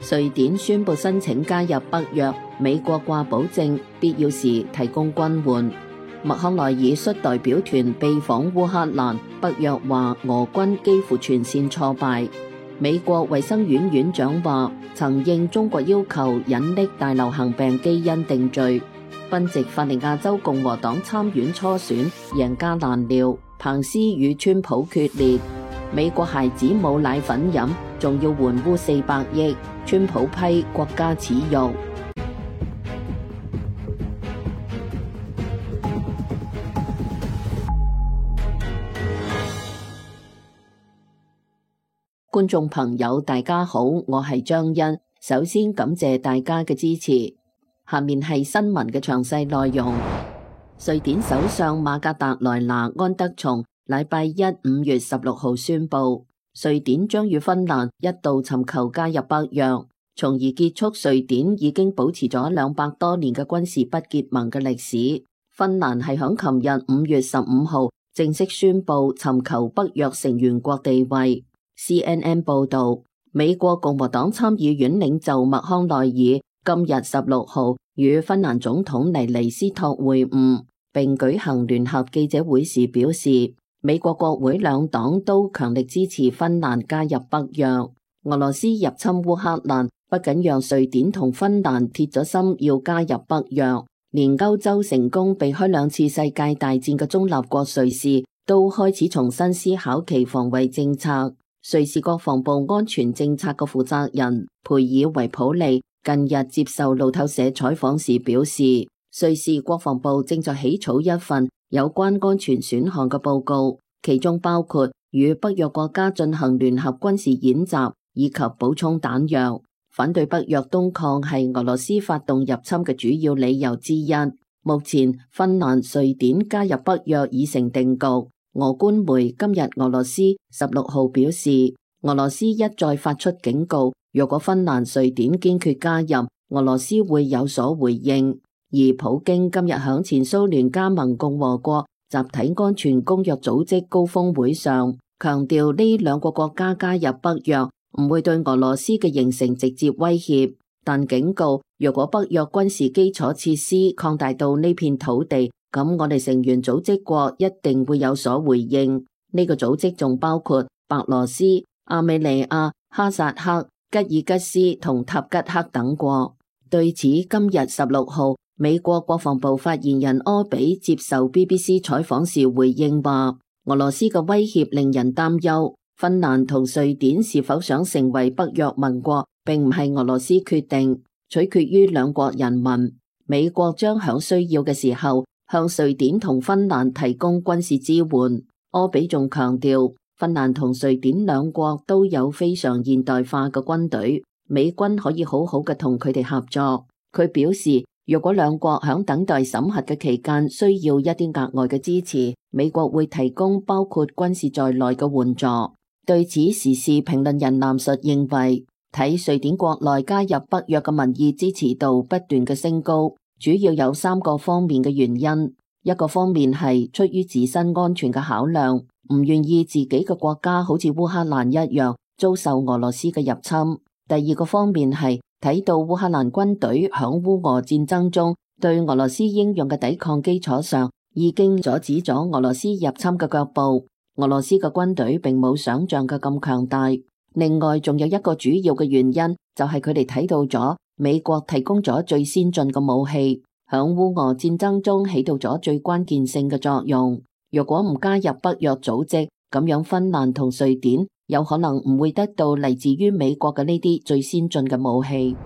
瑞典宣布申請加入北約，美國掛保證，必要時提供軍援。麥康奈爾率代表團被訪烏克蘭，北約話俄軍幾乎全線挫敗。美國衛生院院長話曾應中國要求隱匿大流行病基因定罪。賓夕法尼亞州共和黨參院初選，贏家難料，彭斯與川普決裂。美國孩子冇奶粉飲，仲要援烏400億，川普批國家恥辱。觀眾朋友大家好，我係張欣，首先感謝大家嘅支持。下面係新聞嘅詳細內容。瑞典首相馬格達萊娜安德松禮拜一5月16號宣布，瑞典將與芬蘭一道尋求加入北約，從而結束瑞典已經保持咗200多年嘅軍事不結盟嘅歷史。芬蘭係響琴日5月15號正式宣布尋求北約成員國地位。CNN 報道，美國共和黨參議院領袖麥康奈爾今日16號與芬蘭總統尼尼斯托會晤，並舉行聯合記者會時表示，美國國會兩黨都強力支持芬蘭加入北約。俄羅斯入侵烏克蘭，不僅讓瑞典同芬蘭鐵咗心要加入北約，連歐洲成功避開2次世界大戰嘅中立國瑞士，都開始重新思考其防衛政策。瑞士國防部安全政策嘅負責人培爾維普利近日接受路透社採訪時表示，瑞士國防部正在起草一份有關安全選項嘅報告，其中包括與北約國家進行聯合軍事演習以及補充彈藥。反對北約東擴係俄羅斯發動入侵嘅主要理由之一。目前芬蘭、瑞典加入北約已成定局。俄官媒今日俄羅斯16號表示，俄羅斯一再發出警告，若果芬蘭、瑞典堅決加入，俄羅斯會有所回應。而普京今日響前蘇聯加盟共和國集體安全公約組織高峰會上，強調呢2個國家加入北約唔會對俄羅斯嘅形成直接威脅，但警告若果北約軍事基礎設施擴大到呢片土地，咁我哋成員組織國一定會有所回應。呢個組織仲包括白羅斯、亞美尼亞、哈薩克、吉爾吉斯同塔吉克等國。對此，今日16號，美國國防部發言人柯比接受 BBC 採訪時回應話，俄羅斯嘅威脅令人擔憂。芬蘭同瑞典是否想成為北約盟國，並唔係俄羅斯決定，取決於兩國人民。美國將響需要嘅時候向瑞典同芬蘭提供軍事支援。柯比仲強調，芬蘭同瑞典兩國都有非常現代化嘅軍隊，美軍可以好好嘅同佢哋合作。佢表示，若果兩國響等待審核嘅期間需要一啲額外嘅支持，美國會提供包括軍事在內嘅援助。對此，時事評論人藍述認為，睇瑞典國內加入北約嘅民意支持度不斷嘅升高，主要有3個方面嘅原因。一個方面係出於自身安全嘅考量，唔願意自己嘅國家好似烏克蘭一樣遭受俄羅斯嘅入侵。第二個方面係睇到烏克蘭軍隊響烏俄戰爭中對俄羅斯英勇嘅抵抗基礎上，已經阻止咗俄羅斯入侵嘅腳步。俄羅斯嘅軍隊並冇想象嘅咁強大。另外仲有一個主要嘅原因，就係佢哋睇到咗美國提供咗最先進嘅武器，響烏俄戰爭中起到咗最關鍵性嘅作用。若果唔加入北約組織，咁樣芬蘭同瑞典有可能唔會得到嚟自於美國嘅呢啲最先進嘅武器。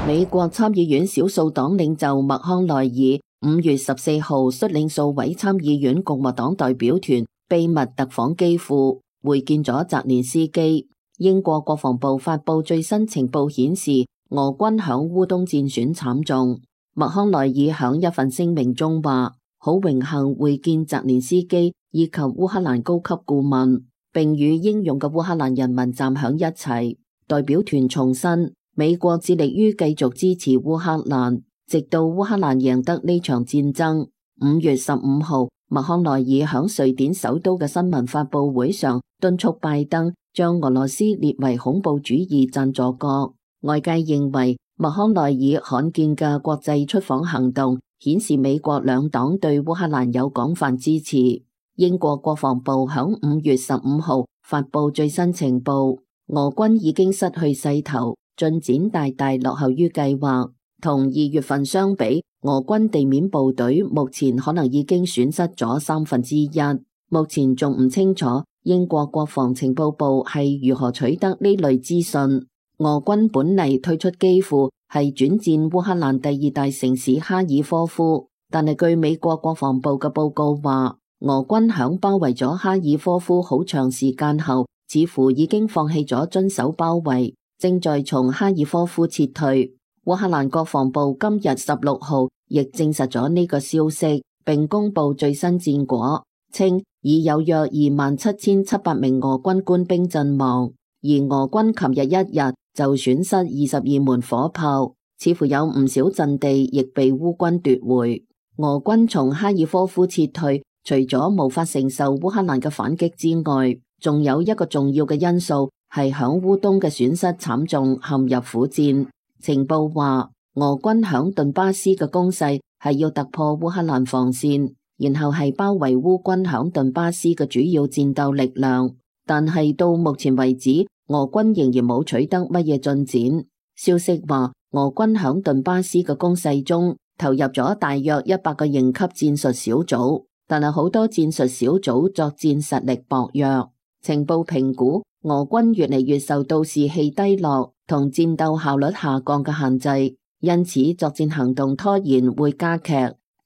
美國參議院少數黨領袖麥康奈爾5月14號率領數位參議院共和黨代表團秘密特訪基輔，會見咗澤連斯基。英國國防部發布最新情報顯示，俄軍響烏東戰損慘重。麥康奈爾響一份聲明中話，好榮幸會見澤連斯基以及烏克蘭高級顧問，並與英勇嘅烏克蘭人民站響一齊。代表團重申，美國致力於繼續支持烏克蘭，直到烏克蘭贏得呢場戰爭。5月15號，麥康奈爾響瑞典首都嘅新聞發佈會上敦促拜登將俄羅斯列為恐怖主義贊助國。外界認為麥康奈爾罕見嘅國際出訪行動顯示美國兩黨對烏克蘭有廣泛支持。英國國防部響5月15號發佈最新情報，俄軍已經失去勢頭，進展大大落後於計劃。同2月份相比，俄軍地面部隊目前可能已經損失咗1/3。目前仲唔清楚英國國防情報部係如何取得呢類資訊。俄軍本嚟退出基輔，係轉戰烏克蘭第2大城市哈爾科夫，但係據美國國防部嘅報告話，俄軍響包圍咗哈爾科夫好長時間後，似乎已經放棄咗遵守包圍，正在從哈爾科夫撤退。烏克蘭國防部今日16號亦證實咗呢個消息，並公布最新戰果，稱已有約27,700名俄軍官兵陣亡，而俄軍琴日一日就損失22門火炮，似乎有唔少陣地亦被烏軍奪回。俄軍從哈爾科夫撤退，除咗無法承受烏克蘭嘅反擊之外，仲有一個重要嘅因素係響烏東嘅損失慘重，陷入苦戰。情報話，俄軍響頓巴斯嘅攻勢係要突破烏克蘭防線，然後係包圍烏軍響頓巴斯嘅主要戰鬥力量。但係到目前為止，俄軍仍然冇取得乜嘢進展。消息話，俄軍響頓巴斯嘅攻勢中投入咗大約100個營級戰術小組，但係好多戰術小組作戰實力薄弱。情報評估，俄軍越嚟越受到士氣低落同戰鬥效率下降嘅限制，因此作戰行動拖延會加劇。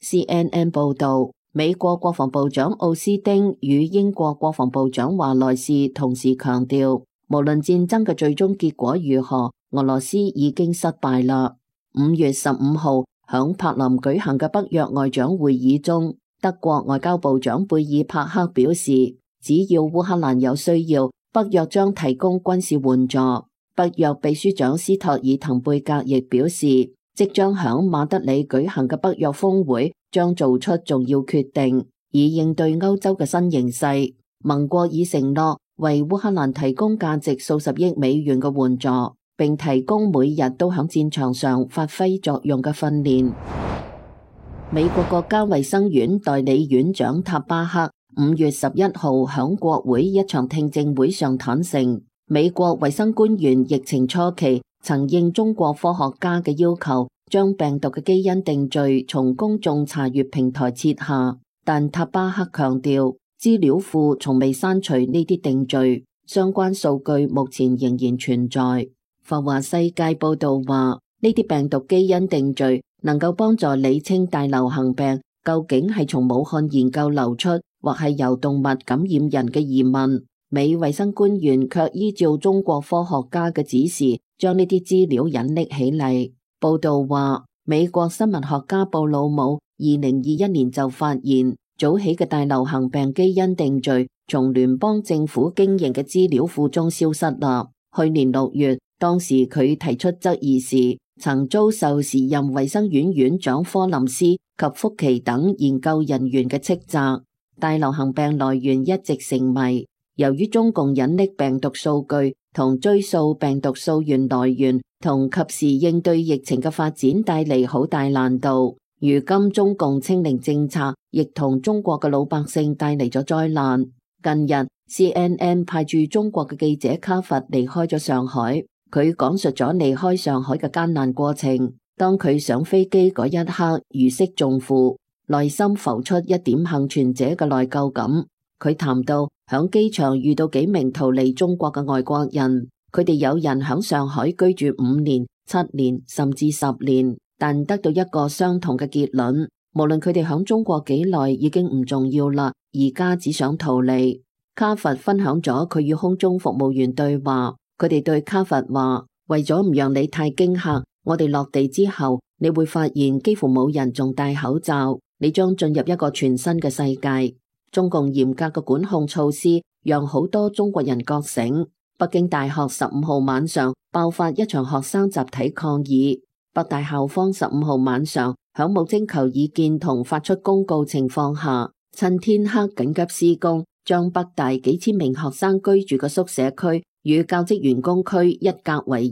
CNN 報道，美國國防部長奧斯汀與英國國防部長華萊士同時強調，無論戰爭嘅最終結果如何，俄羅斯已經失敗啦。5月15號響柏林舉行嘅北約外長會議中，德國外交部長貝爾帕克表示，只要烏克蘭有需要，北約將提供軍事援助。北約秘書長斯托爾滕貝格亦表示，即將響馬德里舉行嘅北約峰會將做出重要決定，以應對歐洲嘅新形勢。盟國已承諾為烏克蘭提供價值數十億美元嘅援助，並提供每日都響戰場上發揮作用嘅訓練。美國國家衛生院代理院長塔巴克5月11號響國會一場聽證會上坦承，美國衛生官員疫情初期曾應中國科學家嘅要求，將病毒嘅基因定序從公眾查閱平台撤下，但塔巴克強調，資料庫從未刪除呢啲定序，相關數據目前仍然存在。浮華世界報道話，呢啲病毒基因定序能夠幫助理清大流行病究竟係從武漢研究流出，或係由動物感染人嘅疑問。美衛生官員卻依照中國科學家嘅指示，將呢啲資料隱匿起嚟。報道話，美國生物學家布魯姆2021年就發現，早起嘅大流行病基因定序從聯邦政府經營嘅資料庫中消失啦。去年6月，當時佢提出質疑時，曾遭受時任衛生院院長科林斯及福奇等研究人員嘅斥責。大流行病來源一直成謎，由於中共隱匿病毒數據同追溯病毒溯源來源同及時應對疫情嘅發展帶嚟好大難度。如今中共清零政策亦同中國嘅老百姓帶嚟咗災難。近日 CNN 派駐中國嘅記者卡佛離開咗上海，佢講述咗離開上海嘅艱難過程。當佢上飛機嗰一刻，如釋重負，內心浮出一點幸存者嘅內疚感。佢談到響機場遇到幾名逃離中國嘅外國人，佢哋有人響上海居住5年、7年甚至10年，但得到一個相同嘅結論，無論佢哋響中國幾耐已經唔重要啦，而家只想逃離。卡佛分享咗佢與空中服務員對話，佢哋對卡佛話，為咗唔讓你太驚嚇，我哋落地之後，你會發現幾乎冇人仲戴口罩，你將進入一個全新嘅世界。中共嚴格嘅管控措施讓好多中國人覺醒。北京大學15號晚上爆發一場學生集體抗議，北大校方15號晚上響冇徵求意見同發出公告情況下，趁天黑緊急施工，將北大幾千名學生居住嘅宿舍區與教職員工區一隔為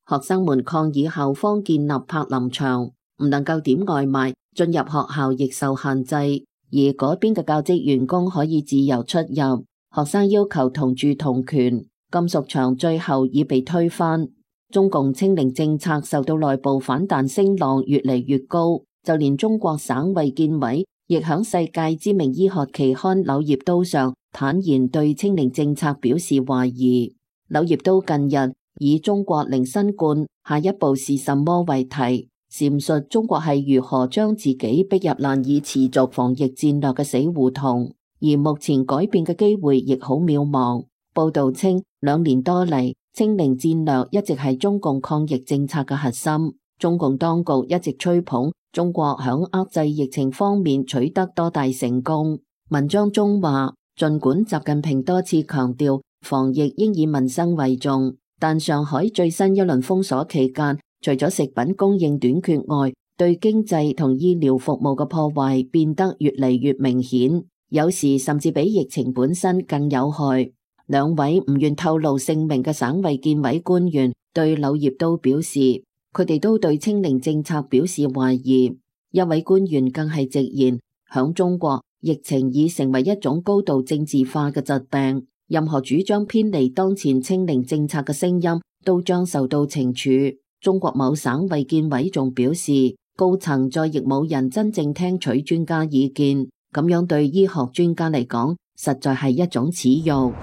二。學生們抗議校方建立柏林牆，唔能夠點外賣，進入學校亦受限制。而嗰邊嘅教職員工可以自由出入。學生要求同住同權，金屬牆最後已被推翻。中共清零政策受到內部反彈聲浪越嚟越高，就連中國省衛健委亦響世界知名醫學期刊《柳葉刀》上坦言對清零政策表示懷疑。《柳葉刀》近日以中國零新冠，下一步是什麼為題，闡述中國係如何將自己逼入難以持續防疫戰略嘅死胡同，而目前改變嘅機會亦好渺茫。報道稱，2年多嚟，清零戰略一直係中共抗疫政策嘅核心。中共當局一直吹捧中國響遏制疫情方面取得多大成功。文章中話，儘管習近平多次強調防疫應以民生為重，但上海最新一輪封鎖期間，除咗食品供應短缺外，對經濟同醫療服務嘅破壞變得越嚟越明顯，有時甚至比疫情本身更有害。2位唔願透露姓名嘅省衛健委官員對柳葉刀表示，佢哋都對清零政策表示懷疑。一位官員更係直言，響中國，疫情已成為一種高度政治化嘅疾病，任何主張偏離當前清零政策嘅聲音都將受到懲處。中國某省衛健委仲表示，高層再亦冇人真正聽取專家意見，咁樣對醫學專家嚟講，實在係一種恥辱。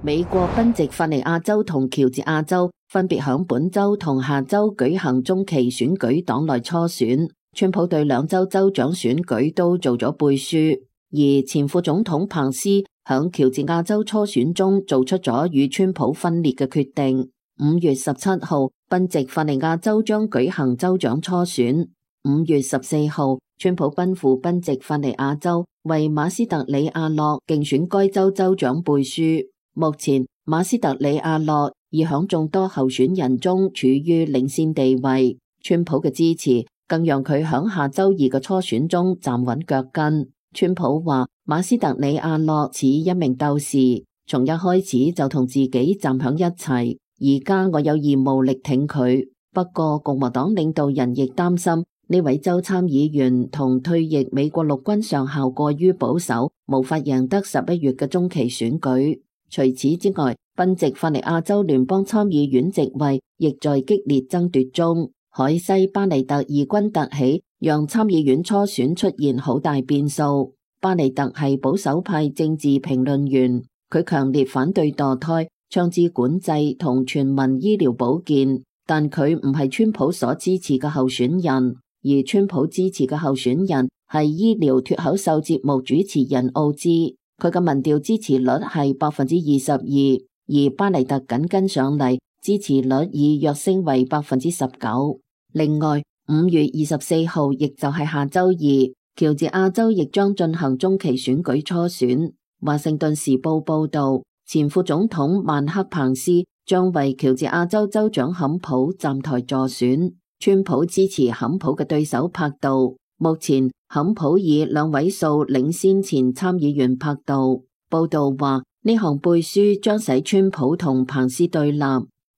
美國賓夕法尼亞州同喬治亞州分別響本周同下周舉行中期選舉黨內初選，川普對兩州州長選舉都做咗背書，而前副總統彭斯響喬治亞州初選中做出咗與川普分裂嘅決定。5月17號，賓夕法尼亞州將舉行州長初選。5月14號，川普奔赴賓夕法尼亞州為馬斯特里亞諾競選該州州長背書。目前馬斯特里亞諾已響眾多候選人中處於領先地位，川普嘅支持更讓佢響下周二嘅初選中站穩腳跟。川普話馬斯特里亞諾似一名鬥士，從一開始就同自己站響一齊，而家我有義務力挺佢。不過共和黨領導人亦擔心呢位州參議員同退役美國陸軍上校過於保守，無法贏得11月嘅中期選舉。除此之外，賓夕法尼亞州聯邦參議院席位亦在激烈爭奪中。海西巴尼特異軍突起，讓參議院初選出現好大變數。巴尼特係保守派政治評論員，佢強烈反對墮胎、槍支管制同全民醫療保健，但佢唔係川普所支持嘅候選人，而川普支持嘅候選人係醫療脫口秀節目主持人奧茲。佢嘅民調支持率係22%，而巴尼特緊跟上嚟，支持率已躍升為19%。另外，5月24號，亦就係下周二，喬治亞州亦將進行中期選舉初選。華盛頓時報報道，前副總統曼克彭斯將為喬治亞州州長坎普站台助選，川普支持坎普嘅對手柏杜。目前坎普以2位數領先前參議員柏杜。報道話，呢項背書將使川普同彭斯對立，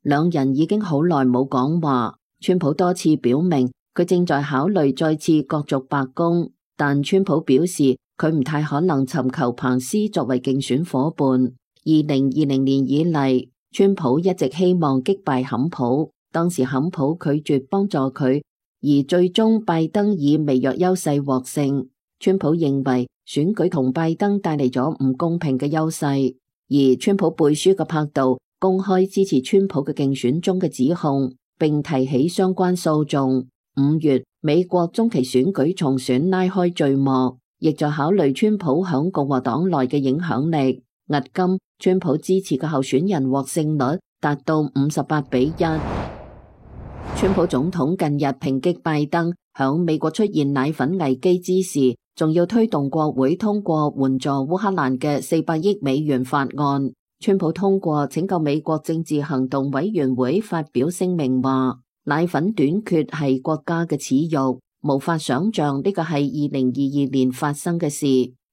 兩人已經好耐冇講話。川普多次表明佢正在考慮再次角逐白宮，但川普表示佢唔太可能尋求彭斯作為競選夥伴。2020年以嚟，川普一直希望擊敗坎普，當時坎普拒絕幫助佢。而最終拜登以微弱優勢獲勝，川普認為選舉同拜登帶嚟咗唔公平嘅優勢，而川普背書嘅柏杜公開支持川普嘅競選中嘅指控，並提起相關訴訟。5月，美國中期選舉重選拉開序幕，亦在考慮川普響共和黨內嘅影響力。迄今，川普支持嘅候選人獲勝率達到58-1。川普總統近日抨擊拜登響美國出現奶粉危機之時，仲要推動國會通過援助烏克蘭嘅400億美元法案。川普通過拯救美國政治行動委員會發表聲明話，奶粉短缺係國家嘅恥辱，無法想象呢個係2022年發生嘅事。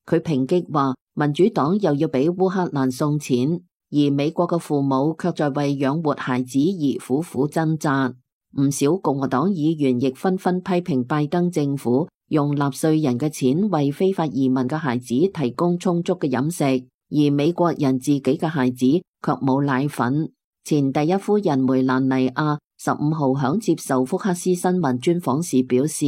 佢抨擊話，民主黨又要俾烏克蘭送錢，而美國嘅父母卻在為養活孩子而苦苦掙扎。唔少共和黨議員亦紛紛批評拜登政府用納稅人嘅錢為非法移民嘅孩子提供充足嘅飲食，而美國人自己嘅孩子卻冇奶粉。前第一夫人梅蘭妮亞15號響接受福克斯新聞專訪時表示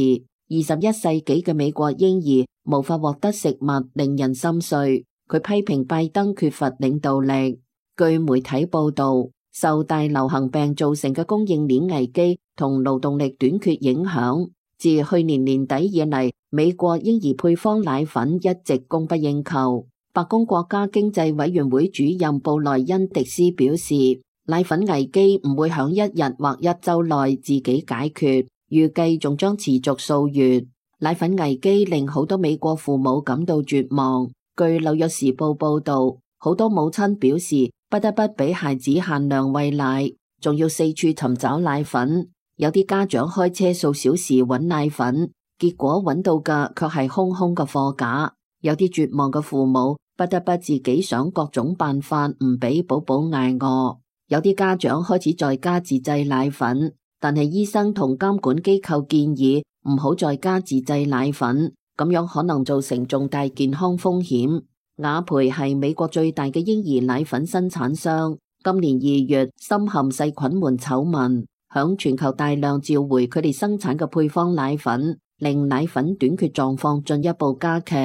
，21世紀嘅美國嬰兒無法獲得食物，令人心碎。佢批評拜登缺乏領導力。據媒體報道，受大流行病造成嘅供應鏈危機同勞動力短缺影響，自去年年底以嚟，美國嬰兒配方奶粉一直供不應求。白宮國家經濟委員會主任布萊恩迪斯表示，奶粉危機唔會響一日或一週內自己解決，預計仲將持續數月。奶粉危機令好多美國父母感到絕望。據紐約時報報道，好多母親表示不得不俾孩子限量餵奶，仲要四處尋找奶粉。有啲家長開車數小時揾奶粉，結果揾到嘅卻係空空嘅貨架。有啲絕望嘅父母不得不自己想各種辦法唔俾寶寶挨餓。有啲家長開始在家自製奶粉，但係醫生同監管機構建議唔好在家自製奶粉，咁樣可能造成重大健康風險。雅培係美國最大嘅嬰兒奶粉生產商，今年2月深陷細菌門醜聞，響全球大量召回佢哋生產嘅配方奶粉，令奶粉短缺狀況進一步加劇。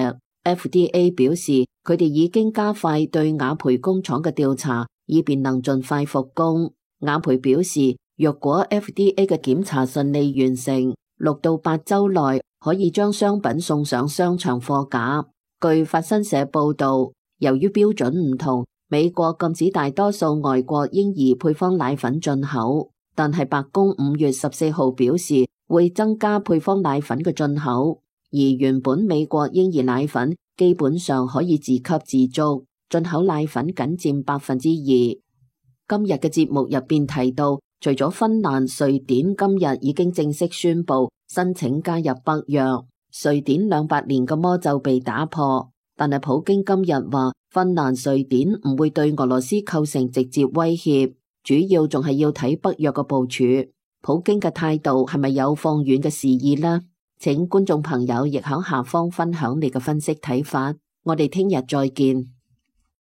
FDA 表示，佢哋已經加快對雅培工廠嘅調查，以便能盡快復工。雅培表示，若果 FDA 嘅檢查順利完成，6到8週內可以將商品送上商場貨架。據法新社報道，由於標準唔同，美國禁止大多數外國嬰兒配方奶粉進口，但係白宮5月14號表示會增加配方奶粉嘅進口，而原本美國嬰兒奶粉基本上可以自給自足，進口奶粉僅佔2%。今日嘅節目入邊提到，除咗芬蘭、瑞典今日已經正式宣布申請加入北約，瑞典200年嘅魔咒被打破，但係普京今日話芬蘭、瑞典唔會對俄羅斯構成直接威脅，主要仲係要睇北約嘅部署。普京嘅態度係咪有放軟嘅示意呢？請觀眾朋友亦響下方分享你嘅分析睇法，我哋聽日再見。